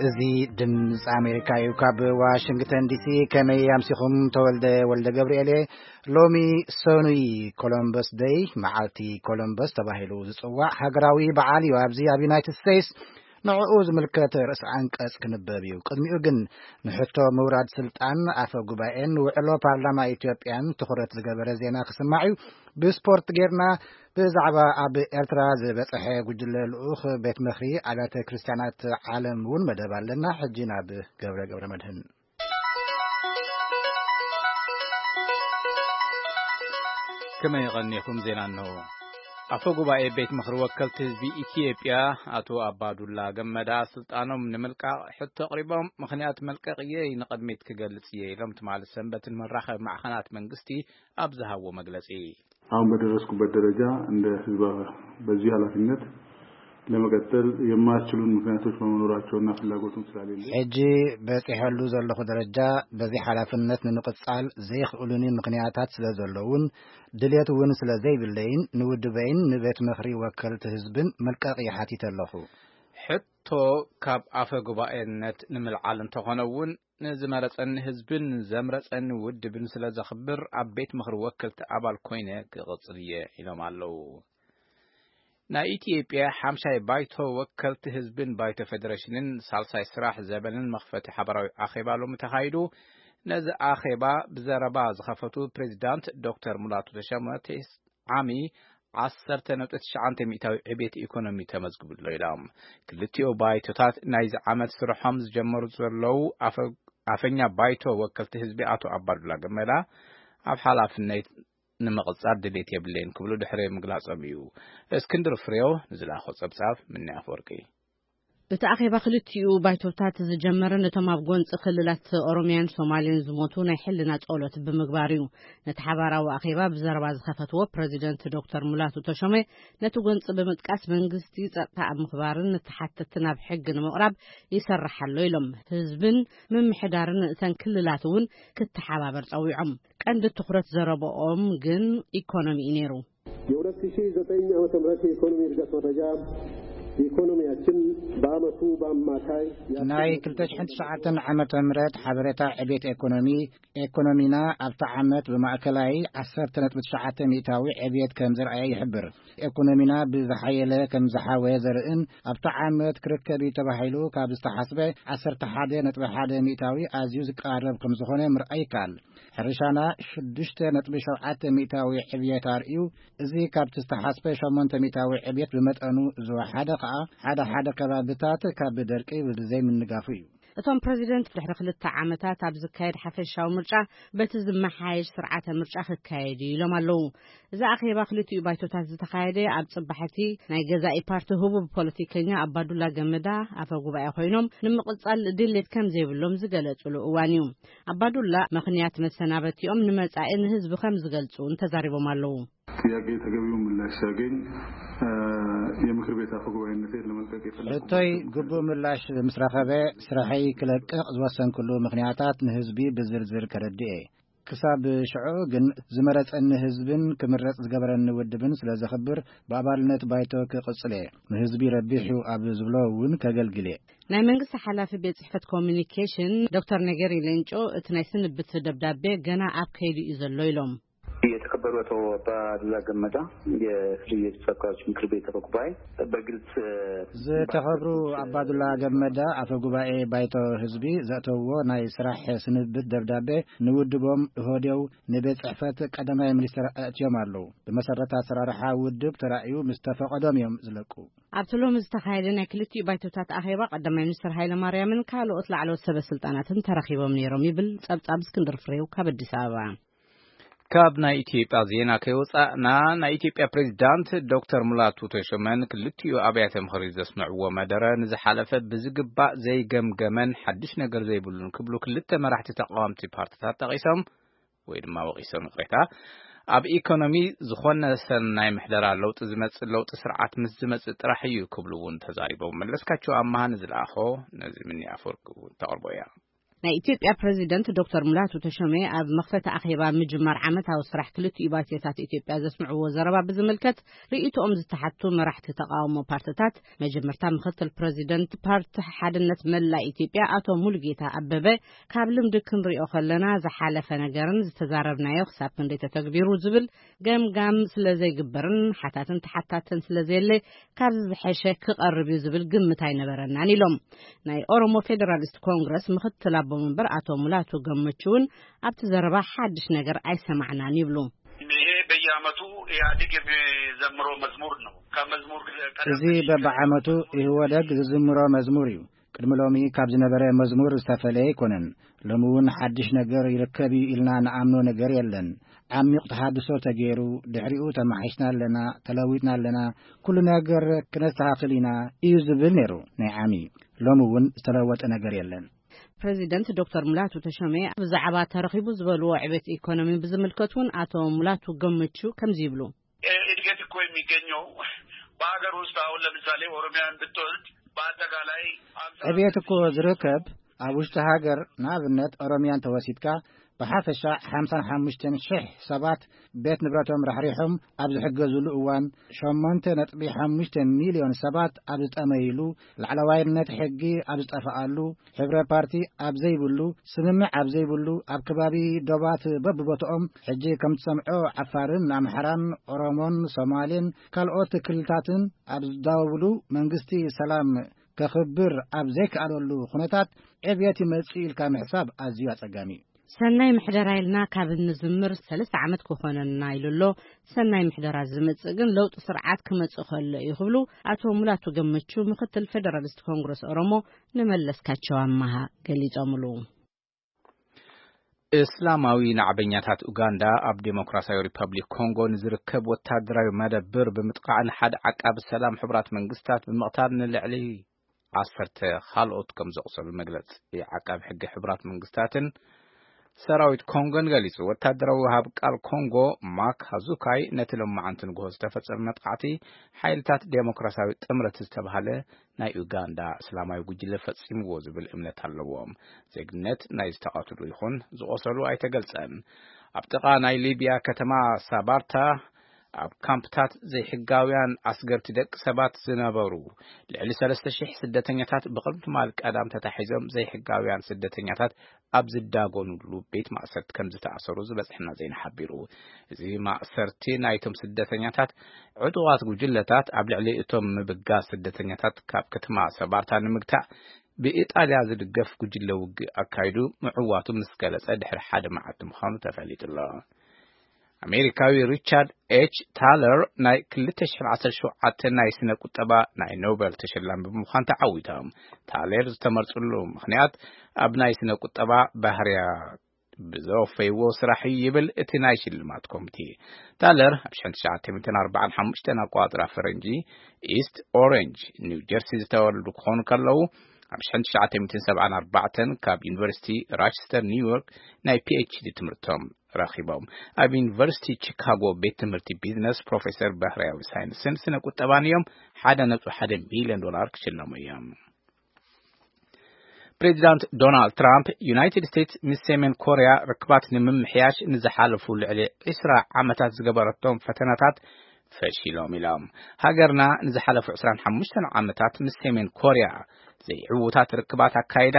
እዚ ድምፂ ኣሜሪካ እዩ። ካብ ዋሽንግተን ዲሲ ከመይ ኣምሲኹም? ተወልደ ወልደ ገብርኤል እየ። ሎሚ ሰኑይ ኮሎምበስ ደይ፣ መዓልቲ ኮሎምበስ ተባሂሉ ዝፅዋዕ ሃገራዊ በዓል እዩ። ኣብዚ ኣብ ዩናይትድ ስቴትስ ንዕኡ ዝምልከት ርእሲ ኣንቀጽ ክንበብ እዩ። ቅድሚኡ ግን ንሕቶ ምውራድ ስልጣን ኣፈ ጉባኤን ውዕሎ ፓርላማ ኢትዮጵያን ትኹረት ዝገበረ ዜና ክስማዕ እዩ። ብስፖርት ጌርና ብዛዕባ ኣብ ኤርትራ ዝበጽሐ ጉጅለ ልኡኽ ቤት ምኽሪ ኣብያተ ክርስቲያናት ዓለም እውን መደብ ኣለና። ሕጂ ናብ ገብረ ገብረ መድህን። ከመይ የቐኒኹም? ዜና እንሆ። ኣፈ ጉባኤ ቤት ምኽሪ ወከልቲ ህዝቢ ኢትዮጵያ ኣቶ ኣባዱላ ገመዳ ስልጣኖም ንምልቃቕ ሕቶ ኣቕሪቦም፣ ምኽንያት መልቀቕየይ ንቕድሚት ክገልጽ እየ ኢሎም ትማሊ ሰንበትን መራኸቢ ማዕኸናት መንግስቲ ኣብ ዝሃብዎ መግለጺ። አሁን በደረስኩበት ደረጃ እንደ ህዝብ በዚህ ኃላፊነት ለመቀጠል የማያስችሉን ምክንያቶች በመኖራቸውና ፍላጎቱም ስላሌለኝ ሕጂ በጺሐሉ ዘለኹ ደረጃ በዚ ሓላፍነት ንምቕጻል ዘይኽእሉኒ ምኽንያታት ስለ ዘለውን ድሌት እውን ስለ ዘይብለይን ንውድበይን ንቤት ምኽሪ ወከልቲ ህዝብን መልቀቕ ይሓቲት ኣለኹ። ሕቶ ካብ ኣፈ ጉባኤነት ንምልዓል እንተኾነ እውን ንዝመረጸኒ ህዝብን ዘምረጸኒ ውድብን ስለ ዘኽብር ኣብ ቤት ምኽሪ ወከልቲ ኣባል ኮይነ ክቕጽል እየ ኢሎም ኣለዉ። ናይ ኢትዮጵያ ሓምሻይ ባይቶ ወከልቲ ህዝብን ባይቶ ፌደሬሽንን ሳልሳይ ስራሕ ዘበንን መኽፈቲ ሓበራዊ ኣኼባ ሎሚ ተኻይዱ። ነዚ ኣኼባ ብዘረባ ዝኸፈቱ ፕሬዚዳንት ዶክተር ሙላቱ ተሸመ ቴስ ዓሚ ዓሰርተ ነጥቢ ትሽዓተ ሚእታዊ ዕቤት ኢኮኖሚ ተመዝግቡ ኣሎ ኢሎም። ክልቲኦ ባይቶታት ናይዚ ዓመት ስርሖም ዝጀመሩ ዘለዉ ኣፈ-፣ ኣፈኛ ባይቶ ወከልቲ ህዝቢ ኣቶ ኣባዱላ ገመዳ ኣብ ሓላፍነት ንምቕጻል ድሌት የብለይን ክብሉ ድሕሪ ምግላጾም እዩ። እስክንድር ፍሬው ንዝላኾ ጸብጻብ ምኒ ኣፈወርቂ። እቲ ኣኼባ ክልቲኡ ባይቶታት ዝጀመረ ነቶም ኣብ ጎንጺ ክልላት ኦሮሚያን ሶማሌን ዝሞቱ ናይ ሕልና ጸሎት ብምግባር እዩ። ነቲ ሓባራዊ ኣኼባ ብዘረባ ዝኸፈትዎ ፕረዚደንት ዶክተር ሙላቱ ተሾመ፣ ነቲ ጎንጺ ብምጥቃስ መንግስቲ ጸጥታ ኣብ ምኽባርን ንተሓተትቲ ናብ ሕጊ ንምቕራብ ይሰርሕ ኣሎ ኢሎም። ህዝብን ምምሕዳርን እተን ክልላት እውን ክተሓባበር ጸዊዖም። ቀንዲ ትኹረት ዘረባኦም ግን ኢኮኖሚ እዩ ነይሩ። የ ሁለት ሺህ ዘጠኝ ዓመተ ምህረት የኢኮኖሚ እድገት መረጃ ኢኮኖሚያችን በአመቱ በአማካይ ናይ ክልተ ሽሕን ትሽዓተን ዓመተ ምህረት ሓበሬታ ዕቤት ኤኮኖሚ፣ ኤኮኖሚና ኣብቲ ዓመት ብማእከላይ ዓሰርተ ነጥቢ ትሽዓተ ሚእታዊ ዕቤት ከም ዘርኣየ ይሕብር። ኤኮኖሚና ብዝሓየለ ከም ዝሓወየ ዘርእን ኣብቲ ዓመት ክርከብ እዩ ተባሂሉ ካብ ዝተሓስበ ዓሰርተ ሓደ ነጥቢ ሓደ ሚእታዊ ኣዝዩ ዝቀራረብ ከም ዝኾነ ምርኣይ ይከኣል። ሕርሻና ሽዱሽተ ነጥቢ ሸውዓተ ሚእታዊ ዕብየት ኣርእዩ። እዚ ካብቲ ዝተሓስበ ሸሞንተ ሚእታዊ ዕብየት ብመጠኑ ዝወሓደ ከኣ ሓደ ሓደ ከባብታት ካብ ደርቂ ብዘይምንጋፉ እዩ። እቶም ፕረዚደንት ድሕሪ ክልተ ዓመታት ኣብ ዝካየድ ሓፈሻዊ ምርጫ በቲ ዝመሓየሽ ስርዓተ ምርጫ ክካየድ እዩ ኢሎም ኣለዉ። እዚ ኣኼባ ክልቲኡ ባይቶታት ዝተኻየደ ኣብ ጽባሕቲ ናይ ገዛኢ ፓርቲ ህቡብ ፖለቲከኛ ኣባዱላ ገመዳ ኣፈ ጉባኤ ኮይኖም ንምቕጻል ድሌት ከም ዘይብሎም ዝገለጹሉ እዋን እዩ። ኣባዱላ ምኽንያት መሰናበቲኦም ንመጻኢ ንህዝቢ ከም ዝገልጹ እውን ተዛሪቦም ኣለዉ። ጥያቄ ተገቢውን ምላሽ ሲያገኝ የምክር ቤት አፈ ጉባኤነቴን ለመልቀቅ የፈለግኩበት ሕቶይ ምክንያት ግቡእ ምላሽ ምስ ረኸበ ስራሐይ ክለቅቕ ዝወሰንኩሉ ምኽንያታት ንህዝቢ ብዝርዝር ከረድእ እየ። ክሳብ ሽዑ ግን ዝመረጸኒ ህዝብን ክምረጽ ዝገበረኒ ውድብን ስለ ዘኽብር ብኣባልነት ባይቶ ክቕጽል እየ። ንህዝቢ ረቢሑ ኣብ ዝብሎ እውን ከገልግል እየ። ናይ መንግስቲ ሓላፊ ቤት ጽሕፈት ኮሚኒኬሽን ዶክተር ነገሪ ሌንጮ እቲ ናይ ስንብት ደብዳቤ ገና ኣብ ከይዲ እዩ ዘሎ ኢሎም። የተከበሩ አቶ አባዱላ ገመዳ የፍሪ የተወካዮች ምክር ቤት አፈ ጉባኤ በግልጽ ዝተኸብሩ ኣባዱላ ገመዳ ኣፈ ጉባኤ ባይቶ ህዝቢ ዘእተውዎ ናይ ስራሕ ስንብት ደብዳቤ ንውድቦም እሆዴው ንቤት ጽሕፈት ቀዳማይ ሚኒስትር ኣእትዮም ኣለዉ። ብመሰረት ኣሰራርሓ ውድብ ተራእዩ ምስ ተፈቐዶም እዮም ዝለቁ። ኣብቲ ሎሚ ዝተኻየደ ናይ ክልቲኡ ባይቶታት ኣኼባ ቀዳማይ ሚኒስትር ሃይለ ማርያምን ካልኦት ላዕለዎት ሰበ ስልጣናትን ተረኺቦም ነይሮም ይብል ጸብጻብ እስክንድር ፍሬው ካብ ኣዲስ ኣበባ። ካብ ናይ ኢትዮጵያ ዜና ከይወጻእና፣ ናይ ኢትዮጵያ ፕሬዚዳንት ዶክተር ሙላቱ ተሾመን ክልቲኡ ኣብያተ ምኽሪ ዘስምዕዎ መደረ ንዝሓለፈ ብዝግባእ ዘይገምገመን ሓድሽ ነገር ዘይብሉን ክብሉ ክልተ መራሕቲ ተቃወምቲ ፓርቲታት ጠቒሶም ወይ ድማ ወቒሶም፣ ይቕሬታ። ኣብ ኢኮኖሚ ዝኾነ ሰናይ ምሕደራ ለውጢ ዝመጽእ ለውጢ ስርዓት ምስ ዝመጽእ ጥራሕ እዩ ክብሉ እውን ተዛሪቦም። መለስካቸው ኣማሃ ንዝለኣኾ ነዚ ምኒ ኣፈወርቂ እውን ተቕርቦ እያ። ናይ ኢትዮጵያ ፕረዚደንት ዶክተር ሙላቱ ተሾመ ኣብ መኽፈቲ ኣኼባ ምጅማር ዓመታዊ ስራሕ ክልቲኡ ባይቶታት ኢትዮጵያ ዘስምዕዎ ዘረባ ብዝምልከት ርእይቶኦም ዝተሓቱ መራሕቲ ተቓውሞ ፓርትታት፣ መጀመርታ ምኽትል ፕረዚደንት ፓርቲ ሓድነት መላእ ኢትዮጵያ ኣቶ ሙሉጌታ ኣበበ፣ ካብ ልምዲ ክንሪኦ ከለና ዝሓለፈ ነገርን ዝተዛረብናዮ ክሳብ ክንደይ ተተግቢሩ ዝብል ገምጋም ስለ ዘይግበርን ሓታትን ተሓታትን ስለ ዘየለ ካብዚ ዝሐሸ ክቐርብ እዩ ዝብል ግምት ኣይነበረናን ኢሎም። ናይ ኦሮሞ ፌዴራሊስት ኮንግረስ ምኽትል ኣቦ መንበር ኣቶ ሙላቱ ገመቹ እውን ኣብቲ ዘረባ ሓድሽ ነገር ኣይሰማዕናን ይብሉ። ይሄ በየዓመቱ ኢህአዴግ የሚዘምረው መዝሙር ነው። ከመዝሙር ቀደም እዚ በበዓመቱ ኢህወደግ ዝዝምሮ መዝሙር እዩ። ቅድሚ ሎሚ ካብ ዝነበረ መዝሙር ዝተፈለየ ኣይኮነን። ሎሚ እውን ሓድሽ ነገር ይርከብ እዩ ኢልና ንኣምኖ ነገር የለን። ዓሚቕ ተሃድሶ ተገይሩ፣ ድሕሪኡ ተመሓይሽና ኣለና፣ ተለዊጥና ኣለና፣ ኩሉ ነገር ክነስተኻኽል ኢና እዩ ዝብል ነይሩ ናይ ዓሚ። ሎሚ እውን ዝተለወጠ ነገር የለን። ፕረዚደንት ዶክተር ሙላቱ ተሾመ ብዛዕባ ተረኺቡ ዝበልዎ ዕቤት ኢኮኖሚ ብዝምልከት እውን ኣቶ ሙላቱ ገመቹ ከምዚ ይብሉ። እድገት እኮ የሚገኘው በሀገር ውስጥ፣ አሁን ለምሳሌ ኦሮሚያን ብትወስድ በአጠቃላይ ዕቤት እኮ ዝርከብ ኣብ ውሽጢ ሃገር፣ ንኣብነት ኦሮሚያን ተወሲድካ፣ ብሓፈሻ ሓምሳን ሓሙሽተን ሽሕ ሰባት ቤት ንብረቶም ራሕሪሖም ኣብ ዝሕገዝሉ እዋን፣ ሸሞንተ ነጥቢ ሓሙሽተ ሚልዮን ሰባት ኣብ ዝጠመይሉ፣ ላዕለዋይነት ሕጊ ኣብ ዝጠፍኣሉ፣ ሕብረ ፓርቲ ኣብ ዘይብሉ፣ ስምምዕ ኣብ ዘይብሉ፣ ኣብ ከባቢ ዶባት በብቦትኦም፣ ሕጂ ከም ትሰምዖ ዓፋርን ኣምሓራን ኦሮሞን ሶማሌን ካልኦት ክልልታትን ኣብ ዝዳወብሉ፣ መንግስቲ ሰላም ከኽብር ኣብ ዘይከኣለሉ ኩነታት ዕብየት ይመጽእ ኢልካ ምሕሳብ ኣዝዩ ኣጸጋሚ እዩ። ሰናይ ምሕደራ ኢልና ካብ እንዝምር ሰለስተ ዓመት ክኾነና ኢሉ ኣሎ። ሰናይ ምሕደራ ዝመጽእ ግን ለውጢ ስርዓት ክመጽእ ከሎ እዩ ክብሉ ኣቶ ሙላቱ ገመቹ ምኽትል ፌደራሊስት ኮንግረስ ኦሮሞ ንመለስካቸው ኣማሃ ገሊጾምሉ። እስላማዊ ናዕበኛታት ኡጋንዳ ኣብ ዴሞክራሲያዊ ሪፐብሊክ ኮንጎ ንዝርከብ ወታደራዊ መደብር ብምጥቃዕን ሓደ ዓቃቢ ሰላም ሕቡራት መንግስታት ብምቕታል ንልዕሊ ዓሰርተ ካልኦት ከም ዘቑሰሉ መግለጺ ዓቃቢ ሕጊ ሕቡራት መንግስታትን ሰራዊት ኮንጎን ገሊጹ። ወታደራዊ ወሃብ ቃል ኮንጎ ማክ ሃዙካይ ነቲ ሎማዓንቲ ንግሆ ዝተፈጸመ መጥቃዕቲ ሓይልታት ዴሞክራሲያዊ ጥምረት ዝተባህለ ናይ ኡጋንዳ እስላማዊ ጉጅለ ፈጺምዎ ዝብል እምነት ኣለዎም። ዜግነት ናይ ዝተቐትሉ ይኹን ዝቖሰሉ ኣይተገልጸን። ኣብ ጥቓ ናይ ሊብያ ከተማ ሳባርታ ኣብ ካምፕታት ዘይሕጋውያን ኣስገርቲ ደቂ ሰባት ዝነበሩ ልዕሊ ሰለስተ ሽሕ ስደተኛታት ብቕድሚ ትማል ቀዳም ተታሒዞም ዘይሕጋውያን ስደተኛታት ኣብ ዝዳጎኑሉ ቤት ማእሰርቲ ከም ዝተኣሰሩ ዝበጽሐና ዜና ሓቢሩ። እዚ ማእሰርቲ ናይቶም ስደተኛታት ዕጡቓት ጉጅለታት ኣብ ልዕሊ እቶም ምብጋስ ስደተኛታት ካብ ከተማ ሰባርታ ንምግታእ ብኢጣልያ ዝድገፍ ጉጅለ ውግእ ኣካይዱ ምዕዋቱ ምስ ገለጸ ድሕሪ ሓደ መዓልቲ ምዃኑ ተፈሊጡ ኣሎ። ኣሜሪካዊ ሪቻርድ ኤች ታለር ናይ ክልተ ሽሕን ዓሰርተ ሸውዓተን ናይ ስነ ቁጠባ ናይ ኖበል ተሸላሚ ብምዃን ተዓዊቶም። ታለር ዝተመርጽሉ ምኽንያት ኣብ ናይ ስነ ቁጠባ ባህርያ ብዘወፈይዎ ስራሕ እዩ ይብል እቲ ናይ ሽልማት ኮሚቴ። ታለር ኣብ ሽሕን ትሽዓተ ሚእትን ኣርባዓን ሓሙሽተን ኣቆጻጽራ ፈረንጂ ኢስት ኦሬንጅ ኒው ጀርሲ ዝተወለዱ ክኾኑ ከለዉ፣ ኣብ ሽሕን ትሽዓተ ሚእትን ሰብዓን ኣርባዕተን ካብ ዩኒቨርሲቲ ራቸስተር ኒውዮርክ ናይ ፒ ኤች ዲ ትምህርቶም ረኺቦም። ኣብ ዩኒቨርሲቲ ቺካጎ ቤት ትምህርቲ ቢዝነስ ፕሮፌሰር ባህርያዊ ሳይንስን ስነ ቁጠባን እዮም። ሓደ ነጥቢ ሓደ ሚልዮን ዶላር ክሽለሙ እዮም። ፕሬዚዳንት ዶናልድ ትራምፕ ዩናይትድ ስቴትስ ምስ ሰሜን ኮርያ ርክባት ንምምሕያሽ ንዝሓለፉ ልዕሊ ዕስራ ዓመታት ዝገበረቶም ፈተናታት ፈሺሎም ኢሎም። ሃገርና ንዝሓለፉ ዕስራን ሓሙሽተን ዓመታት ምስ ሰሜን ኮርያ ዘይዕዉታት ርክባት ኣካይዳ፣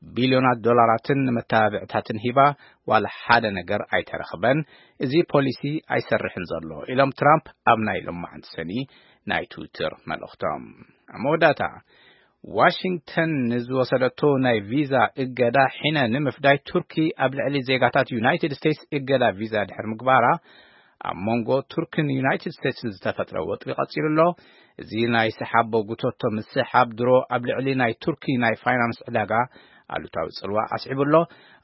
ቢልዮናት ዶላራትን ንመተባብዕታትን ሂባ፣ ዋላ ሓደ ነገር ኣይተረኽበን። እዚ ፖሊሲ ኣይሰርሕን ዘሎ ኢሎም ትራምፕ ኣብ ናይ ሎማዓንቲ ሰኒ ናይ ትዊተር መልእኽቶም። ኣብ መወዳእታ፣ ዋሽንግተን ንዝወሰደቶ ናይ ቪዛ እገዳ ሕነ ንምፍዳይ ቱርኪ ኣብ ልዕሊ ዜጋታት ዩናይትድ ስቴትስ እገዳ ቪዛ ድሕሪ ምግባራ፣ ኣብ መንጎ ቱርክን ዩናይትድ ስቴትስን ዝተፈጥረ ወጥሪ ቀጺሉ ኣሎ። እዚ ናይ ሰሓቦ ጉቶቶ ምስሓብ ድሮ ኣብ ልዕሊ ናይ ቱርኪ ናይ ፋይናንስ ዕዳጋ ኣሉታዊ ጽልዋ ኣስዒቡ ኣሎ።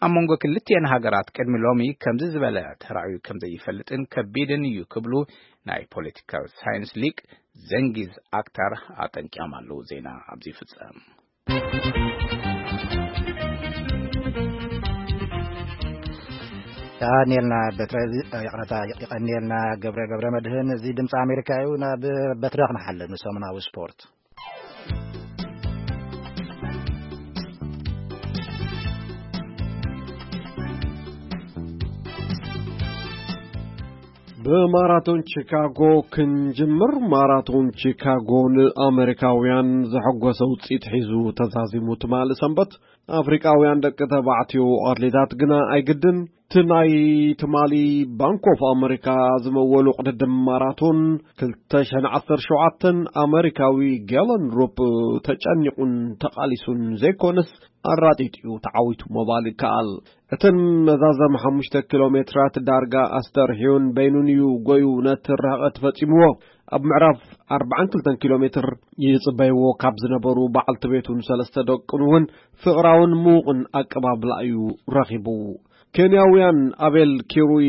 ኣብ መንጎ ክልቲኤን ሃገራት ቅድሚ ሎሚ ከምዚ ዝበለ ተራእዩ ከም ዘይፈልጥን ከቢድን እዩ ክብሉ ናይ ፖለቲካዊ ሳይንስ ሊቅ ዘንጊዝ ኣክታር ኣጠንቂቖም ኣለዉ። ዜና ኣብዚ ይፍጸም። የቐኔልና በትረ፣ ይቕረታ፣ ይቐኔልና ገብረ፣ ገብረ መድህን። እዚ ድምፂ ኣሜሪካ እዩ። ናብ በትረ ክንሓልፍ ንሰሙናዊ ስፖርት። ብማራቶን ቺካጎ ክንጅምር። ማራቶን ቺካጎ ንኣመሪካውያን ዘሐጎሰ ውፅኢት ሒዙ ተዛዚሙ። ትማሊ ሰንበት ኣፍሪቃውያን ደቂ ተባዕትዮ ኣትሌታት ግና ኣይግድን። እቲ ናይ ትማሊ ባንክ ኦፍ ኣመሪካ ዝመወሉ ቅድድም ማራቶን ክልተ ሽሕን ዓሰርተ ሸውዓተን ኣመሪካዊ ጌለን ሩፕ ተጨኒቑን ተቓሊሱን ዘይኮነስ ኣራጢጥዩ ተዓዊቱ ምባል ይከኣል። እተን መዛዘም ሓሙሽተ ኪሎ ሜትራት ዳርጋ ኣስተርሕዩን በይኑን እዩ ጎዩ ነቲ ርሕቐት ፈጺምዎ። ኣብ ምዕራፍ ኣርባዓን ክልተን ኪሎ ሜትር ይጽበይዎ ካብ ዝነበሩ በዓልቲ ቤቱን ሰለስተ ደቁን እውን ፍቕራውን ምዉቕን ኣቀባብላ እዩ ረኺቡ። ኬንያውያን ኣቤል ኪሩይ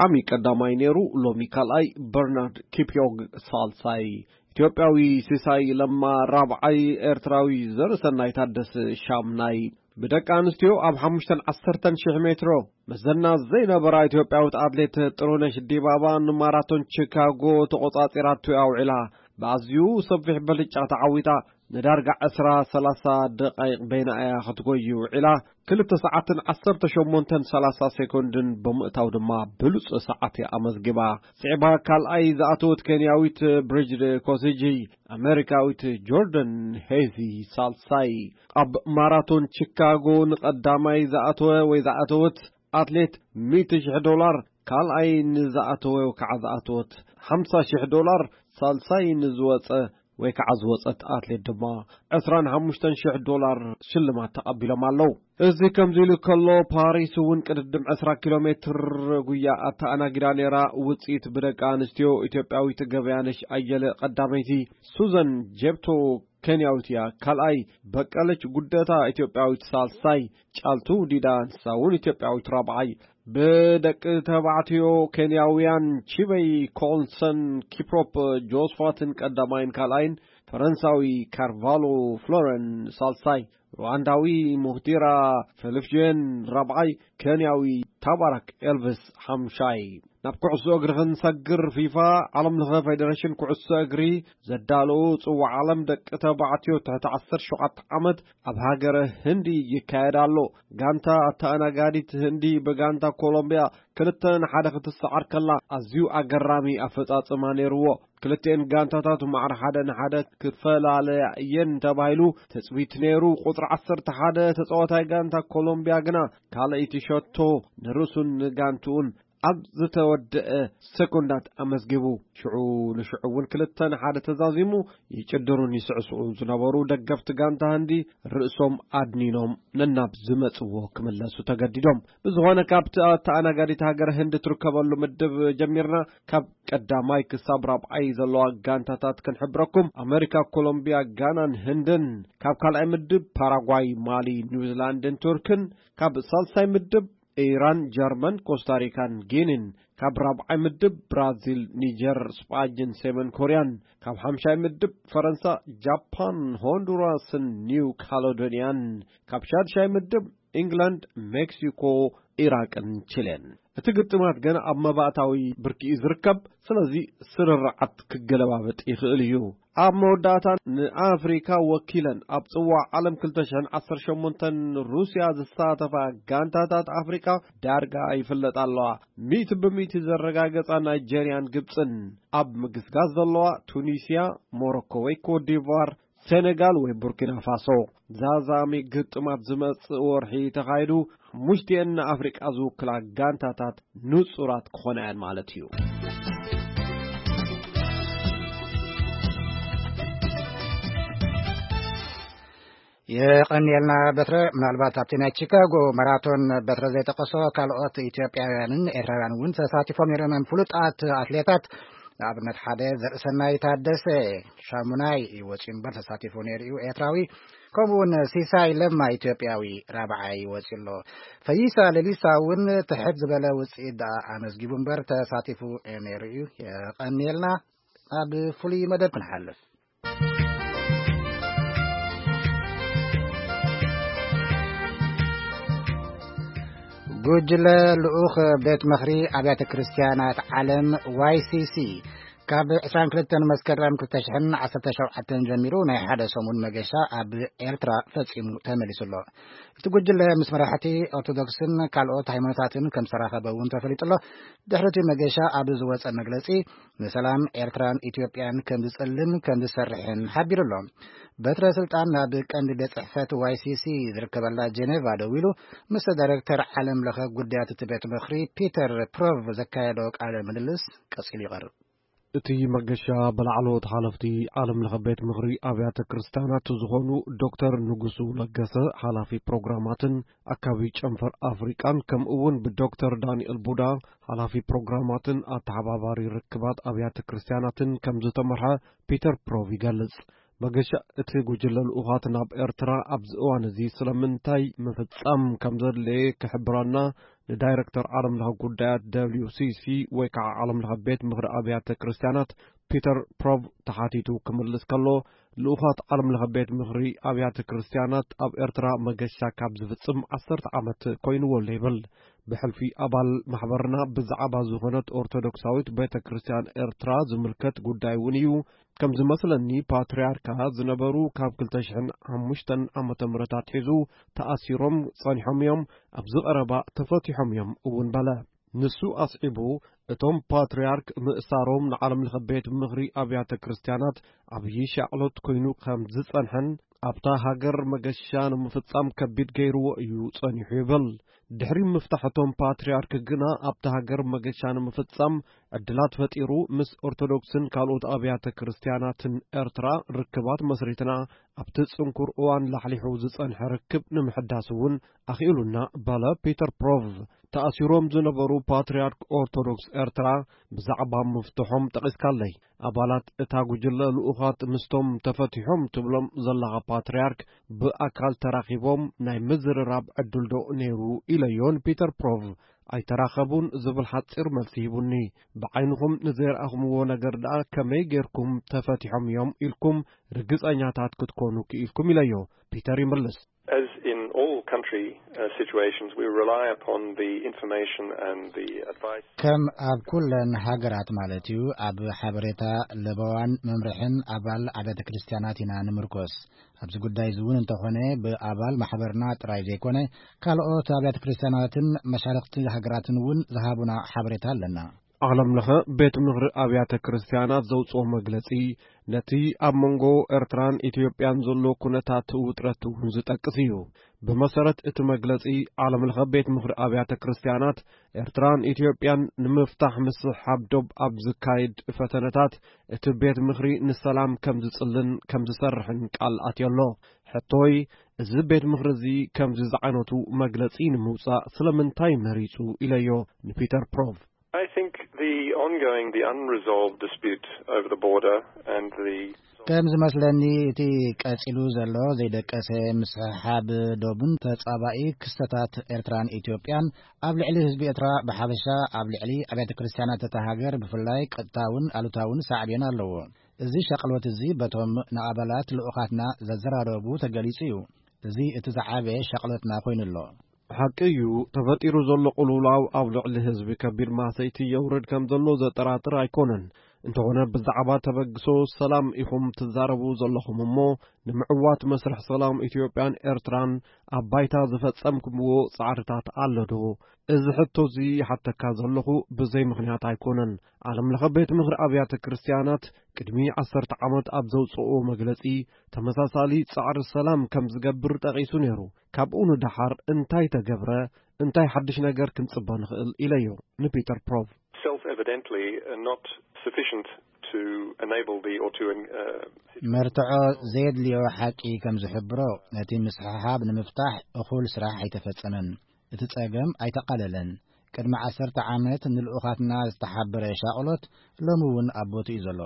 ዓሚ ቀዳማይ ነይሩ፣ ሎሚ ካልኣይ፣ በርናርድ ኪፕዮግ ሳልሳይ፣ ኢትዮጵያዊ ሲሳይ ለማ ራብዓይ፣ ኤርትራዊ ዘርእሰናይ ታደሰ ሻምናይ። ብደቂ ኣንስትዮ ኣብ ሓሙሽተን ዓሰርተን ሽሕ ሜትሮ መዘና ዘይነበራ ኢትዮጵያዊት ኣትሌት ጥሩነሽ ዲባባ ንማራቶን ቺካጎ ተቖጻጺራቶ ኣውዒላ። ብኣዝዩ ሰፊሕ ብልጫ ተዓዊታ ንዳርጋ ዕስራ ሰላሳ ደቓይቕ በይና እያ ክትጎዩ ውዒላ። ክልተ ሰዓትን ዓሰርተ ሸሞንተን ሰላሳ ሴኮንድን ብምእታው ድማ ብሉጽ ሰዓት እያ ኣመዝጊባ። ስዒባ ካልኣይ ዝኣተወት ኬንያዊት ብሪጅድ ኮሲጂ፣ ኣመሪካዊት ጆርደን ሄዚ ሳልሳይ። ኣብ ማራቶን ቺካጎ ንቐዳማይ ዝኣተወ ወይ ዝኣተወት ኣትሌት ሚእቲ ሽሕ ዶላር፣ ካልኣይ ንዝኣተወ ወይ ከዓ ዝኣተወት ሓምሳ ሽሕ ዶላር፣ ሳልሳይ ንዝወፀ ወይ ከዓ ዝወፀት ኣትሌት ድማ ዕስራን ሓሙሽተን ሽሕ ዶላር ሽልማት ተቐቢሎም ኣለዉ። እዚ ከምዚ ኢሉ ከሎ፣ ፓሪስ እውን ቅድድም ዕስራ ኪሎ ሜትር ጉያ ኣተኣናጊዳ ነይራ። ውፅኢት ብደቂ ኣንስትዮ፣ ኢትዮጵያዊት ገበያነሽ ኣየለ ቀዳመይቲ፣ ሱዘን ጄፕቶ ኬንያዊት እያ ካልኣይ፣ በቀለች ጉደታ ኢትዮጵያዊት ሳልሳይ፣ ጫልቱ ዲዳ ንሳ እውን ኢትዮጵያዊት ራብዓይ። ብደቂ ተባዕትዮ ኬንያውያን ቺበይ ኮልሰን ኪፕሮፕ ጆስፋትን ቀዳማይን ካልኣይን፣ ፈረንሳዊ ካርቫሎ ፍሎረን ሳልሳይ፣ ሩዋንዳዊ ሙህዲራ ፌሊፍዮን ራብዓይ፣ ኬንያዊ ታባራክ ኤልቪስ ሓምሻይ። ናብ ኩዕሶ እግሪ ክንሰግር፣ ፊፋ፣ ዓለም ለኸ ፌዴሬሽን ኩዕሶ እግሪ፣ ዘዳለዉ ጽዋዕ ዓለም ደቂ ተባዕትዮ ትሕቲ ዓሰርተ ሸውዓተ ዓመት ኣብ ሃገረ ህንዲ ይካየድ ኣሎ። ጋንታ ኣተኣናጋዲት ህንዲ ብጋንታ ኮሎምቢያ ክልተ ንሓደ ክትሰዓር ከላ፣ ኣዝዩ ኣገራሚ ኣፈጻጽማ ነይርዎ። ክልቲኤን ጋንታታት ማዕረ ሓደ ንሓደ ክፈላለያ እየን ተባሂሉ ትጽቢት ነይሩ። ቁጽሪ ዓሰርተ ሓደ ተጻዋታይ ጋንታ ኮሎምቢያ ግና ካልኣይቲ ሸቶ ንርእሱን ንጋንትኡን ኣብ ዝተወደአ ሰኮንዳት ኣመዝጊቡ። ሽዑ ንሽዑ እውን ክልተ ንሓደ ተዛዚሙ፣ ይጭድሩን ይስዕስዑን ዝነበሩ ደገፍቲ ጋንታ ህንዲ ርእሶም ኣድኒኖም ነናብ ዝመጽዎ ክምለሱ ተገዲዶም። ብዝኾነ፣ ካብቲ ኣተኣናጋዲት ሃገር ህንዲ ትርከበሉ ምድብ ጀሚርና፣ ካብ ቀዳማይ ክሳብ ራብዓይ ዘለዋ ጋንታታት ክንሕብረኩም። ኣመሪካ፣ ኮሎምቢያ፣ ጋናን ህንድን። ካብ ካልኣይ ምድብ ፓራጓይ፣ ማሊ፣ ኒውዚላንድን ቱርክን። ካብ ሳልሳይ ምድብ ኢራን፣ ጀርመን፣ ኮስታሪካን ጊኒን። ካብ ራብዓይ ምድብ ብራዚል፣ ኒጀር፣ ስጳጅን ሰሜን ኮርያን። ካብ ሓምሻይ ምድብ ፈረንሳ፣ ጃፓን፣ ሆንዱራስን ኒው ካሎዶንያን። ካብ ሻድሻይ ምድብ ኢንግላንድ፣ ሜክሲኮ፣ ኢራቅን ቺሌን። እቲ ግጥማት ገና ኣብ መባእታዊ ብርኪ እዩ ዝርከብ፣ ስለዚ ስርርዓት ክገለባበጥ ይኽእል እዩ። ኣብ መወዳእታ ንኣፍሪካ ወኪለን ኣብ ጽዋዕ ዓለም ክልተ ሽሕን ዓሰርተ ሸሞንተን ሩስያ ዝሳተፋ ጋንታታት ኣፍሪካ ዳርጋ ይፍለጣ ኣለዋ። ሚእቲ ብሚእቲ ዘረጋገጻ ናይጀርያን ግብጽን፣ ኣብ ምግስጋስ ዘለዋ ቱኒስያ፣ ሞሮኮ ወይ ኮትዲቯር፣ ሴኔጋል ወይ ቡርኪና ፋሶ። ዛዛሚ ግጥማት ዝመጽእ ወርሒ ተኻይዱ፣ ሓሙሽቲኤን ንኣፍሪቃ ዝውክላ ጋንታታት ንጹራት ክኾና እየን ማለት እዩ። የቐንየልና በትረ። ምናልባት ኣብቲ ናይ ቺካጎ ማራቶን በትረ ዘይጠቀሶ ካልኦት ኢትዮጵያውያንን ኤርትራውያን እውን ተሳቲፎም ነይሮም እዮም። ፍሉጣት ኣትሌታት፣ ንኣብነት ሓደ ዘርእሰናይ ታደሰ ሻሙናይ እዩ ወፂኡ እምበር ተሳቲፉ ነይሩ እዩ፣ ኤርትራዊ። ከምኡ እውን ሲሳይ ለማ ኢትዮጵያዊ ራብዓይ ወፂኡ ኣሎ። ፈይሳ ሌሊሳ እውን ትሕት ዝበለ ውፅኢት ደኣ ኣመዝጊቡ እምበር ተሳቲፉ ነይሩ እዩ። የቐንየልና። ናብ ፍሉይ መደብ ክንሓልፍ። ጉጅለ ልኡኽ ቤት ምኽሪ ኣብያተ ክርስቲያናት ዓለም ዋይ ሲ ሲ ካብ ዕስራን ክልተን መስከረም ክልተ ሽሕን ዓሰርተ ሸውዓተን ጀሚሩ ናይ ሓደ ሰሙን መገሻ ኣብ ኤርትራ ፈጺሙ ተመሊሱ ኣሎ። እቲ ጉጅለ ምስ መራሕቲ ኦርቶዶክስን ካልኦት ሃይማኖታትን ከም ዝተራኸበ እውን ተፈሊጡ ኣሎ። ድሕሪ እቲ መገሻ ኣብ ዝወጸ መግለጺ፣ ንሰላም ኤርትራን ኢትዮጵያን ከም ዝጽልን ከም ዝሰርሕን ሓቢሩ ኣሎ። በትረ ስልጣን ናብ ቀንዲ ቤት ጽሕፈት ዋይ ሲ ሲ ዝርከበላ ጀኔቫ ደዊሉ ምስ ዳይሬክተር ዓለም ለኸ ጉዳያት እቲ ቤት ምኽሪ ፒተር ፕሮቭ ዘካየዶ ቃለ ምልልስ ቀጺሉ ይቐርብ። እቲ መገሻ ብላዕለዎት ሓለፍቲ ዓለም ለኸ ቤት ምኽሪ ኣብያተ ክርስቲያናት ዝኾኑ ዶክተር ንጉሱ ለገሰ፣ ሓላፊ ፕሮግራማትን ኣካቢ ጨንፈር ኣፍሪቃን፣ ከምኡ እውን ብዶክተር ዳንኤል ቡዳ፣ ሓላፊ ፕሮግራማትን ኣተሓባባሪ ርክባት ኣብያተ ክርስቲያናትን ከም ዝተመርሐ ፒተር ፕሮቭ ይገልጽ። መገሻ እቲ ጉጅለ ልኡኻት ናብ ኤርትራ ኣብዚ እዋን እዚ ስለምንታይ ምፍጻም ከም ዘድለየ ክሕብረና ንዳይረክተር ዓለም ለኸ ጉዳያት ደብሊው ሲ ሲ ወይ ከዓ ዓለም ለኸ ቤት ምኽሪ ኣብያተ ክርስቲያናት ፒተር ፕሮቭ ተሓቲቱ ክምልስ ከሎ፣ ልኡኻት ዓለም ለኸ ቤት ምኽሪ ኣብያተ ክርስቲያናት ኣብ ኤርትራ መገሻ ካብ ዝፍጽም ዓሰርተ ዓመት ኮይንዎ ኣሎ ይብል። ብሕልፊ ኣባል ማሕበርና ብዛዕባ ዝኾነት ኦርቶዶክሳዊት ቤተ ክርስቲያን ኤርትራ ዝምልከት ጉዳይ እውን እዩ። ከም ዝመስለኒ ፓትርያርካ ዝነበሩ ካብ ክልተ ሽሕን ሓሙሽተን ዓመተ ምህረት ኣትሒዙ ተኣሲሮም ጸኒሖም እዮም፣ ኣብዚ ቀረባ ተፈቲሖም እዮም እውን በለ። ንሱ ኣስዒቡ፣ እቶም ፓትርያርክ ምእሳሮም ንዓለም ለኸ ቤት ምኽሪ ኣብያተ ክርስቲያናት ዓብዪ ሻቕሎት ኮይኑ ከም ዝጸንሐን ኣብታ ሃገር መገሻ ንምፍጻም ከቢድ ገይርዎ እዩ ጸኒሑ ይብል። ድሕሪ ምፍታሕ እቶም ፓትርያርክ ግና ኣብታ ሃገር መገሻ ንምፍጻም ዕድላት ፈጢሩ፣ ምስ ኦርቶዶክስን ካልኦት ኣብያተ ክርስቲያናትን ኤርትራ ርክባት መስሪትና፣ ኣብቲ ጽንኩር እዋን ላሕሊሑ ዝጸንሐ ርክብ ንምሕዳስ እውን ኣኽኢሉና በለ ፒተር ፕሮቭ። ተኣሲሮም ዝነበሩ ፓትርያርክ ኦርቶዶክስ ኤርትራ ብዛዕባ ምፍትሖም ጠቒስካለይ። ኣባላት እታ ጉጅለ ልኡኻት ምስቶም ተፈቲሖም ትብሎም ዘለኻ ፓትርያርክ ብኣካል ተራኺቦም ናይ ምዝርራብ ዕድል ዶ ነይሩ ኢለዮ ንፒተር ፕሮቭ። ኣይተራኸቡን ዝብል ሓጺር መልሲ ሂቡኒ። ብዓይንኹም ንዘይረኣኹምዎ ነገር ደኣ ከመይ ጌርኩም ተፈቲሖም እዮም ኢልኩም ርግጸኛታት ክትኮኑ ክኢልኩም ኢለዮ። ፒተር ይምልስ። As in all country uh, situations, we rely upon the information and the advice. ከም ኣብ ኩለን ሃገራት ማለት እዩ፣ ኣብ ሓበሬታ ለበዋን መምርሕን ኣባል ኣብያተ ክርስቲያናት ኢና ንምርኮስ። ኣብዚ ጉዳይ እዚ እውን እንተኾነ ብኣባል ማሕበርና ጥራይ ዘይኮነ ካልኦት ኣብያተ ክርስቲያናትን መሻርኽቲ ሃገራትን እውን ዝሃቡና ሓበሬታ ኣለና። ዓለም ለኸ ቤት ምኽሪ ኣብያተ ክርስቲያናት ዘውፅኦ መግለፂ ነቲ ኣብ መንጎ ኤርትራን ኢትዮጵያን ዘሎ ኩነታት ውጥረት እውን ዝጠቅስ እዩ። ብመሰረት እቲ መግለፂ፣ ዓለም ለኸ ቤት ምኽሪ ኣብያተ ክርስቲያናት ኤርትራን ኢትዮጵያን ንምፍታሕ ምስሕሓብ ዶብ ኣብ ዝካየድ ፈተነታት እቲ ቤት ምኽሪ ንሰላም ከም ዝጽልን ከም ዝሰርሕን ቃል ኣትዮ ኣሎ። ሕቶይ፣ እዚ ቤት ምኽሪ እዚ ከምዚ ዝዓይነቱ መግለጺ ንምውጻእ ስለምንታይ መሪጹ ኢለዮ ንፒተር ፕሮቭ። I think the ongoing, the unresolved dispute over the border and the ከም ዝመስለኒ እቲ ቀጺሉ ዘሎ ዘይደቀሰ ምስሕሓብ ዶብን ተጻባኢ ክስተታት ኤርትራን ኢትዮጵያን ኣብ ልዕሊ ህዝቢ ኤርትራ ብሓፈሻ ኣብ ልዕሊ ኣብያተ ክርስቲያናት እታ ሃገር ብፍላይ ቀጥታውን ኣሉታውን ሳዕቤን ኣለዎ። እዚ ሻቕሎት እዚ በቶም ንኣባላት ልኡኻትና ዘዘራረቡ ተገሊጹ እዩ። እዚ እቲ ዝዓበየ ሻቕሎትና ኮይኑ ኣሎ። ሓቂ እዩ፣ ተፈጢሩ ዘሎ ቅልውላው ኣብ ልዕሊ ህዝቢ ከቢድ ማህሰይቲ የውርድ ከም ዘሎ ዘጠራጥር ኣይኮነን። እንተኾነ ብዛዕባ ተበግሶ ሰላም ኢኹም ትዛረቡ ዘለኹም እሞ፣ ንምዕዋት መስርሕ ሰላም ኢትዮጵያን ኤርትራን ኣብ ባይታ ዝፈጸምኩምዎ ጻዕርታት ኣሎ ዶ? እዚ ሕቶ እዚ ይሓተካ ዘለኹ ብዘይ ምኽንያት ኣይኮነን። ዓለም ለኸ ቤት ምኽሪ ኣብያተ ክርስቲያናት ቅድሚ ዓሰርተ ዓመት ኣብ ዘውጽእዎ መግለጺ፣ ተመሳሳሊ ጻዕሪ ሰላም ከም ዝገብር ጠቒሱ ነይሩ። ካብኡ ንደሓር እንታይ ተገብረ? እንታይ ሓድሽ ነገር ክንጽበ ንኽእል? ኢለዮ ንፒተር ፕሮቭ። Self-evidently, uh, not sufficient to enable the, or to, uh, መርትዖ ዘየድልዮ ሓቂ ከም ዝሕብሮ፣ ነቲ ምስሕሓብ ንምፍታሕ እኹል ስራሕ ኣይተፈጸመን። እቲ ጸገም ኣይተቓለለን። ቅድሚ ዓሰርተ ዓመት ንልኡኻትና ዝተሓበረ ሻቕሎት ሎሚ እውን ኣብ ቦትኡ እዩ ዘሎ።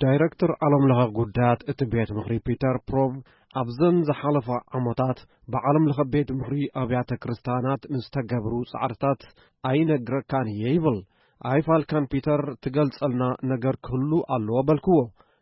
ዳይረክተር ዓለም ለኸ ጉዳያት እቲ ቤት ምኽሪ ፒተር ፕሮቭ፣ ኣብዘን ዝሓለፋ ዓመታት ብዓለም ለኸ ቤት ምኽሪ ኣብያተ ክርስቲያናት ንዝተገብሩ ጻዕርታት ኣይነግረካን እየ ይብል። ኣይፋልካን ፒተር፣ ትገልጸልና ነገር ክህሉ ኣለዎ በልክዎ።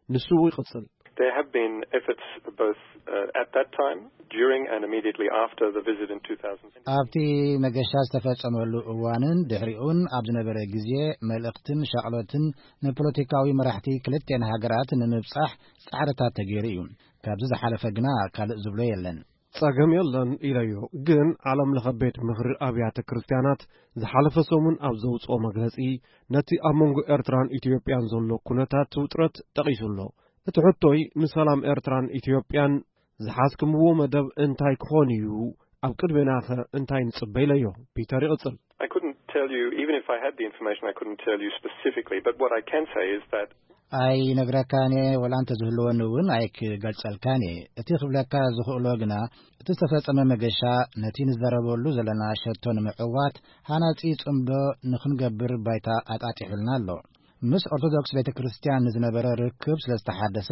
ንሱ ይቕጽል። There have been efforts both uh, at that time, during and immediately after the visit in two thousand. ኣብቲ መገሻ ዝተፈጸመሉ እዋንን ድሕሪኡን ኣብ ዝነበረ ግዜ፣ መልእኽትን ሻቕሎትን ንፖለቲካዊ መራሕቲ ክልቴን ሃገራት ንምብጻሕ ጻዕርታት ተገይሩ እዩ። ካብዚ ዝሓለፈ ግና ካልእ ዝብሎ የለን። ጸገም የለን ኢለዮ፣ ግን ዓለም ለኸ ቤት ምኽሪ ኣብያተ ክርስቲያናት ዝሓለፈ ሰሙን ኣብ ዘውጽኦ መግለጺ፣ ነቲ ኣብ መንጎ ኤርትራን ኢትዮጵያን ዘሎ ኩነታት ውጥረት ጠቒሱ ኣሎ። እቲ ሕቶይ፣ ንሰላም ኤርትራን ኢትዮጵያን ዝሓዝክምዎ መደብ እንታይ ክኾን እዩ? ኣብ ቅድሜናኸ እንታይ ንጽበ? ኢለዮ። ፒተር ይቕጽል። I couldn't tell you, even if I had the information, I couldn't tell you specifically. But what I can say is that ኣይነግረካን እየ፣ ወላ እንተ ዝህልወኒ እውን ኣይክገልጸልካን እየ። እቲ ክብለካ ዝኽእሎ ግና፣ እቲ ዝተፈጸመ መገሻ ነቲ ንዘረበሉ ዘለና ሸቶ ንምዕዋት ሃናጺ ጽምዶ ንኽንገብር ባይታ ኣጣጢሑልና ኣሎ። ምስ ኦርቶዶክስ ቤተ ክርስቲያን ንዝነበረ ርክብ ስለ ዝተሓደሰ፣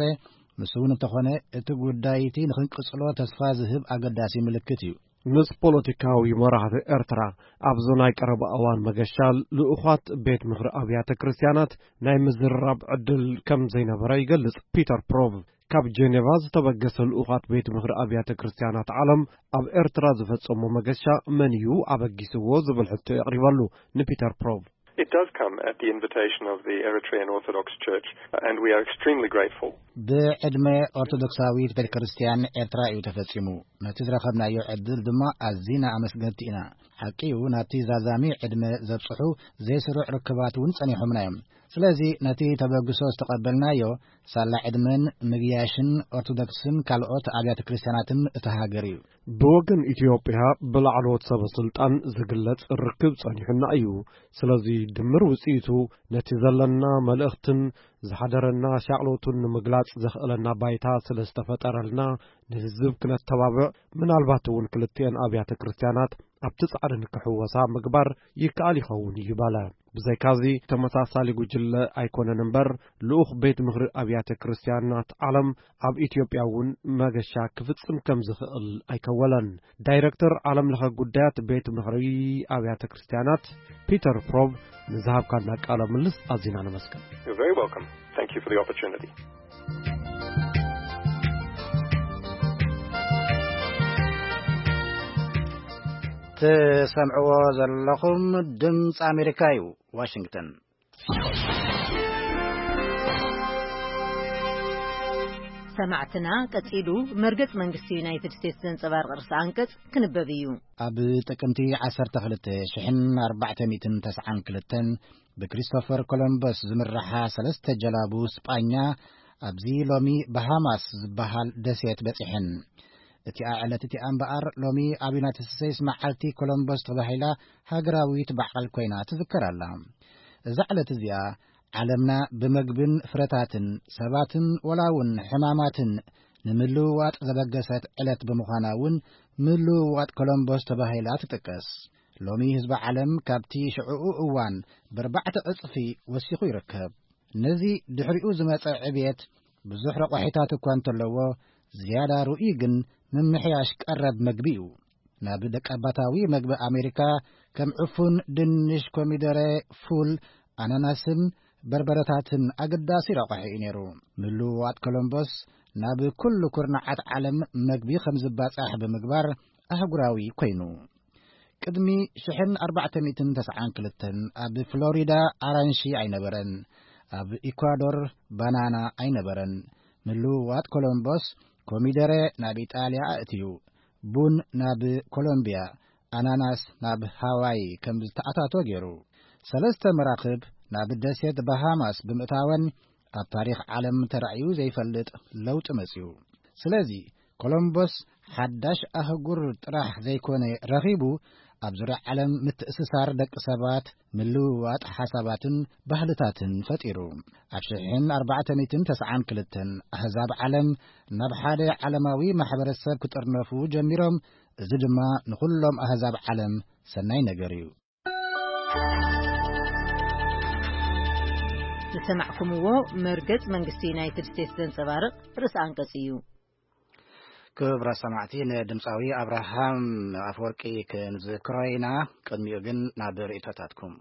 ንሱ እውን እንተኾነ እቲ ጉዳይ እቲ ንኽንቅጽሎ ተስፋ ዝህብ ኣገዳሲ ምልክት እዩ። ምስ ፖለቲካዊ መራሕቲ ኤርትራ ኣብዚ ናይ ቀረባ እዋን መገሻ፣ ልኡኻት ቤት ምኽሪ ኣብያተ ክርስቲያናት ናይ ምዝርራብ ዕድል ከም ዘይነበረ ይገልጽ ፒተር ፕሮቭ። ካብ ጄኔቫ ዝተበገሰ ልኡኻት ቤት ምኽሪ ኣብያተ ክርስቲያናት ዓለም ኣብ ኤርትራ ዝፈጸሞ መገሻ መን እዩ ኣበጊስዎ ዝብል ሕቶ የቕሪበሉ ንፒተር ፕሮቭ። It does come at the invitation of the Eritrean Orthodox Church, and we are extremely grateful. ብዕድመ ኦርቶዶክሳዊት ቤተ ክርስቲያን ኤርትራ እዩ ተፈጺሙ። ነቲ ዝረኸብናዮ ዕድል ድማ ኣዚና ኣመስገንቲ ኢና። ሓቂ እዩ፣ ናብቲ ዛዛሚ ዕድመ ዘብጽሑ ዘይስሩዕ ርክባት እውን ጸኒሖምና እዮም። ስለዚ ነቲ ተበግሶ ዝተቐበልናዮ ሳላ ዕድመን ምግያሽን ኦርቶዶክስን ካልኦት ኣብያተ ክርስቲያናትን እታ ሃገር እዩ። ብወገን ኢትዮጵያ ብላዕለዎት ሰበ ስልጣን ዝግለጽ ርክብ ጸኒሑና እዩ። ስለዚ ድምር ውጽኢቱ ነቲ ዘለና መልእኽትን ዝሓደረና ሻቕሎትን ንምግላጽ ዘኽእለና ባይታ ስለ ዝተፈጠረልና ንህዝብ ክነተባብዕ፣ ምናልባት እውን ክልቲኤን ኣብያተ ክርስቲያናት ኣብቲ ጻዕሪ ንክሕወሳ ምግባር ይከኣል ይኸውን እዩ በለ። ብዘይካዚ ተመሳሳሊ ጉጅለ ኣይኮነን እምበር፣ ልኡኽ ቤት ምኽሪ ኣብያተ ክርስቲያናት ዓለም ኣብ ኢትዮጵያ እውን መገሻ ክፍጽም ከም ዝኽእል ኣይከወለን። ዳይረክተር ዓለም ለኸ ጉዳያት ቤት ምኽሪ ኣብያተ ክርስቲያናት ፒተር ፕሮቭ ንዝሃብካና ቃለ ምልስ ኣዚና ነመስግን። You're very welcome. Thank you for the opportunity. ትሰምዕዎ ዘለኹም ድምፂ ኣሜሪካ እዩ። ዋሽንግተን። ሰማዕትና፣ ቀጺሉ መርገጽ መንግስቲ ዩናይትድ ስቴትስ ዘንጸባርቕ ርእሰ ኣንቀጽ ክንበብ እዩ። ኣብ ጥቅምቲ ዓሰርተ ክልተ ሽሕን ኣርባዕተ ሚእትን ተስዓን ክልተን ብክሪስቶፈር ኮሎምበስ ዝምርሓ ሰለስተ ጀላቡ ስጳኛ ኣብዚ ሎሚ ባሃማስ ዝበሃል ደሴት በጺሐን። እቲኣ ዕለት እቲኣ እምበኣር ሎሚ ኣብ ዩናይትድ ስቴትስ መዓልቲ ኮሎምበስ ተባሂላ ሃገራዊት በዓል ኮይና ትዝከር ኣላ። እዛ ዕለት እዚኣ ዓለምና ብመግብን ፍረታትን ሰባትን ወላ እውን ሕማማትን ንምልውዋጥ ዘበገሰት ዕለት ብምዃና እውን ምልውዋጥ ኮሎምቦስ ተባሂላ ትጥቀስ። ሎሚ ህዝቢ ዓለም ካብቲ ሽዕኡ እዋን ብኣርባዕተ ዕጽፊ ወሲኹ ይርከብ። ነዚ ድሕሪኡ ዝመጸ ዕብየት ብዙሕ ረቋሒታት እኳ እንተለዎ፣ ዝያዳ ርኡይ ግን ምምሕያሽ ቀረብ መግቢ እዩ። ናብ ደቀባታዊ መግቢ ኣሜሪካ ከም ዕፉን፣ ድንሽ፣ ኮሚደረ፣ ፉል፣ ኣናናስን በርበረታትን ኣገዳሲ ረቋሒ እዩ ነይሩ። ምልውዋጥ ኮሎምቦስ ናብ ኩሉ ኩርናዓት ዓለም መግቢ ከም ዝባጻሕ ብምግባር ኣህጉራዊ ኮይኑ። ቅድሚ ሽሕን ኣርባዕተ ሚእትን ተስዓን ክልተን ኣብ ፍሎሪዳ ኣራንሺ ኣይነበረን፣ ኣብ ኢኳዶር ባናና ኣይነበረን። ምልውዋጥ ኮሎምቦስ ኮሚደረ ናብ ኢጣልያ ኣእትዩ፣ ቡን ናብ ኮሎምቢያ፣ ኣናናስ ናብ ሃዋይ ከም ዝተኣታቶ ገይሩ። ሰለስተ መራኽብ ናብ ደሴት ባሃማስ ብምእታወን ኣብ ታሪኽ ዓለም ተራእዩ ዘይፈልጥ ለውጢ መጽዩ። ስለዚ ኮሎምቦስ ሓዳሽ ኣህጉር ጥራሕ ዘይኮነ ረኺቡ፣ ኣብ ዙርያ ዓለም ምትእስሳር ደቂ ሰባት፣ ምልውዋጥ ሓሳባትን ባህልታትን ፈጢሩ። ኣብ ሽሕን ኣርባዕተ ሚእትን ተስዓን ክልተን ኣህዛብ ዓለም ናብ ሓደ ዓለማዊ ማሕበረሰብ ክጥርነፉ ጀሚሮም። እዚ ድማ ንኹሎም ኣህዛብ ዓለም ሰናይ ነገር እዩ። ዝሰማዕኩምዎ መርገጽ መንግስቲ ዩናይትድ ስቴትስ ዘንጸባርቕ ርእሰ ኣንቀጽ እዩ። ክቡራት ሰማዕቲ፣ ንድምፃዊ ኣብርሃም ኣፈወርቂ ክንዝክሮ ኢና። ቅድሚኡ ግን ናብ ርእይቶታትኩም።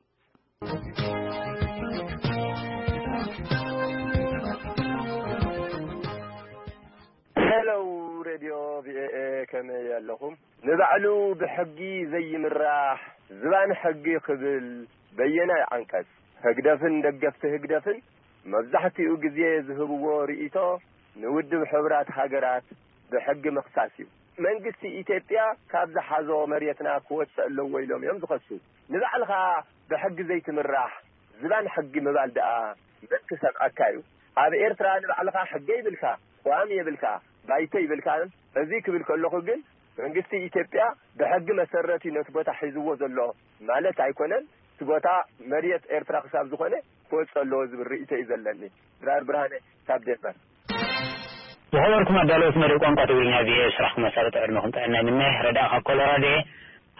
ከመይ ኣለኹም? ንባዕሉ ብሕጊ ዘይምራሕ ዝባን ሕጊ ክብል በየናይ ዓንቀጽ? ህግደፍን ደገፍቲ ህግደፍን መብዛሕትኡ ግዜ ዝህብዎ ርእይቶ ንውድብ ሕቡራት ሃገራት ብሕጊ ምኽሳስ እዩ። መንግስቲ ኢትዮጵያ ካብ ዝሓዞ መሬትና ክወጽእ ኣለዎ ኢሎም እዮም ዝኸሱ። ንባዕልኻ ብሕጊ ዘይትምራሕ ዝባን ሕጊ ምባል ደኣ መን ክሰምዓካ እዩ? ኣብ ኤርትራ ንባዕልኻ ሕገ ይብልካ፣ ቅዋም የብልካ፣ ባይቶ ይብልካ። እዚ ክብል ከለኹ ግን መንግስቲ ኢትዮጵያ ብሕጊ መሰረት እዩ ነቲ ቦታ ሒዝዎ ዘሎ ማለት ኣይኮነን። እቲ ቦታ መሬት ኤርትራ ክሳብ ዝኾነ ክወጽእ ኣለዎ ዝብል ርእይቶ እዩ ዘለኒ። ድራር ብርሃነ ካብ ዴንማርክ። ዝኸበርኩም ኣዳለውቲ መደብ ቋንቋ ትግርኛ ቪኦኤ፣ ስራሕኩም መሳለጥ ዕድመኹም ጥዕና ይምነ። ረዳእ ካብ ኮሎራዶ እየ።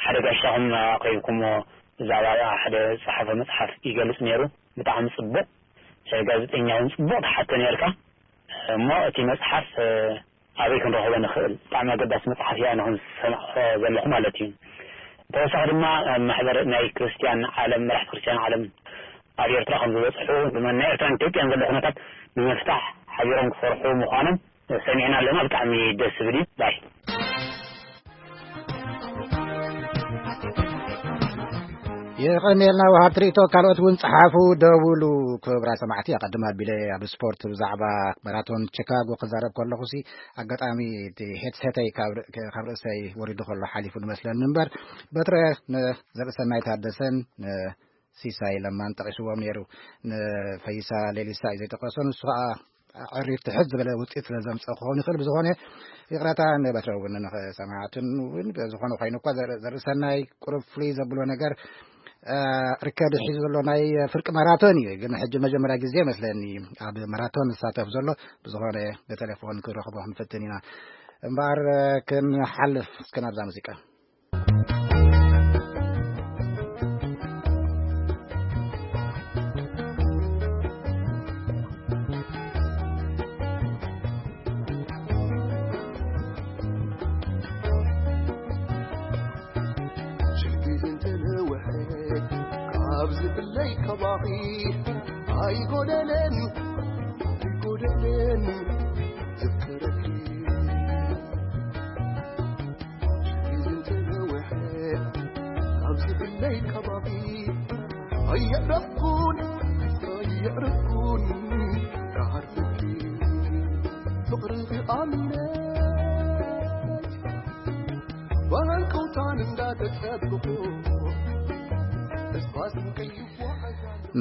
ሓደ ጋሻኹም ኣቕሪብኩሞ ብዛዕባ ሓደ ዝጸሓፈ መጽሓፍ ይገልጽ ነይሩ። ብጣዕሚ ጽቡቕ። እ፣ ጋዜጠኛ እውን ጽቡቕ ትሓቶ ነርካ። እሞ እቲ መጽሓፍ፣ እ፣ ኣበይ ክንረኽቦ ንኽእል? ብጣዕሚ ኣገዳሲ መጽሓፍ እያ፣ ንኹም ዝሰማዕኹ ዘለኹ ማለት እዩ። ብተወሳኺ ድማ፣ እ፣ ማሕበር ናይ ክርስትያን ዓለም፣ መራሕቲ ክርስትያን ዓለም ኣብ ኤርትራ ከም ዝበጽሑ፣ ብመን ናይ ኤርትራን ኢትዮጵያን ዘሎ ኩነታት ንምፍታሕ ሓቢሮም ክሰርሑ ምዃኖም ሰሚዕና ኣለና። ብጣዕሚ ደስ ዝብል እዩ። ባይ። የቐንየልና ወሃብቲ ርእይቶ፣ ካልኦት እውን ጸሓፉ፣ ደውሉ። ክቡራት ሰማዕቲ፣ ኣቐድም ኣቢለ ኣብ ስፖርት ብዛዕባ ማራቶን ቺካጎ ክዛረብ ከለኹ ሲ፣ ኣጋጣሚ እቲ ሄድሴተይ ካብ ር-፣ ካብ ርእሰይ ወሪዱ ከሎ ሓሊፉ ንመስለኒ እምበር፣ በትረ ንዘርእሰናይ ታደሰን ንሲሳይ ለማን ጠቒስዎም ነይሩ። ንፈይሳ ሌሊሳ እዩ ዘይጠቀሶ፣ ንሱ ኸዓ ዕሪፍ ትሕት ዝበለ ውፅኢት ስለ ዘምፀ ክኸውን ይኽእል። ብዝኾነ ይቕረታ ንበትረ እውን ንሰማዕትን እውን። ዝኾነ ኮይኑ እኳ ዘር-፣ ዘርእሰናይ ቁሩብ ፍሉይ ዘብሎ ነገር፣ እ፣ ርከድ ሒዙ ዘሎ ናይ ፍርቂ ማራቶን እዩ። ግን ሕጂ መጀመርያ ግዜ መስለኒ ኣብ ማራቶን ዝሳተፍ ዘሎ። ብዝኾነ ብቴሌፎን ክረኽቦ ክንፍትን ኢና። እምበኣር ክንሓልፍ እስከ ናብዛ ሙዚቃ።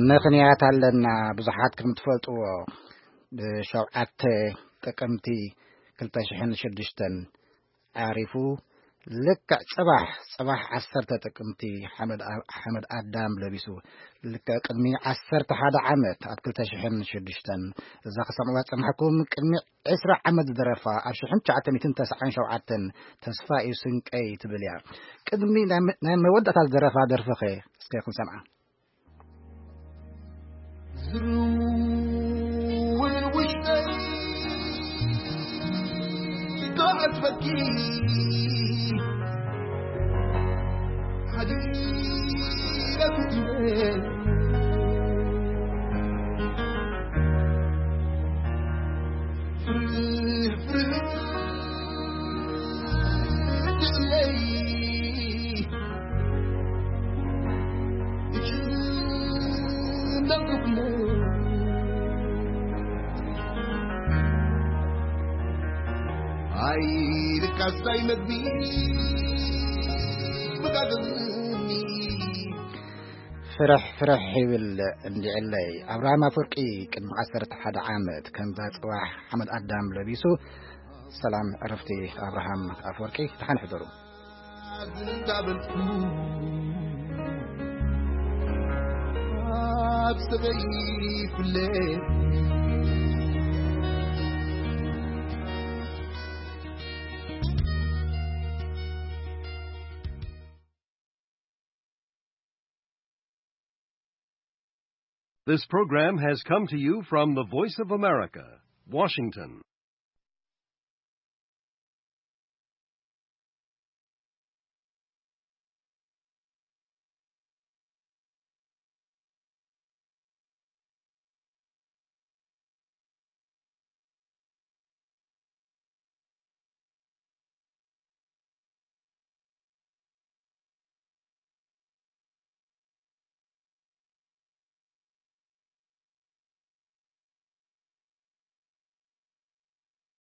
ምኽንያት ኣለና፣ ብዙሓት ከም ትፈልጥዎ፣ ብ7 ጥቅምቲ ክልተ ሽሕን ሽዱሽተን ዓሪፉ፣ ልክዕ ጽባሕ፣ ጽባሕ ዓሰርተ ጥቅምቲ ሓመድ ኣ-፣ ሓመድ ኣዳም ለቢሱ፣ ልክዕ ቅድሚ ዓሰርተ ሓደ ዓመት ኣብ ክልተ ሽሕን ሽዱሽተን፣ እዛ ክሰምዕዋ ዝጸናሕኩም ቅድሚ ዕስራ ዓመት ዝደረፋ፣ ኣብ ሽሕን ትሽዓተ ሚእትን ተስዓን ሸውዓተን፣ "ተስፋ እዩ ስንቀይ" ትብል እያ። ቅድሚ ናይ መ-፣ ናይ መወዳእታ ዝደረፋ ደርፊኸ እስከ ክንሰምዓ። ዝርውል ውሽጠይ ክዓጽፈኪ ሓዲረ ፍትነ ፍርህ ፍርህ ትብለይ ፍርሕ ፍርሕ ይብል እንዲዕለይ። ኣብርሃም ኣፈወርቂ ቅድሚ ዓሰርተ ሓደ ዓመት ከምዛ ጽባሕ ሓመድ ኣዳም ለቢሱ። ሰላም ዕረፍቲ ኣብርሃም ኣፈወርቂ። ደሓን ሕደሩ። This program has come to you from the Voice of America, Washington.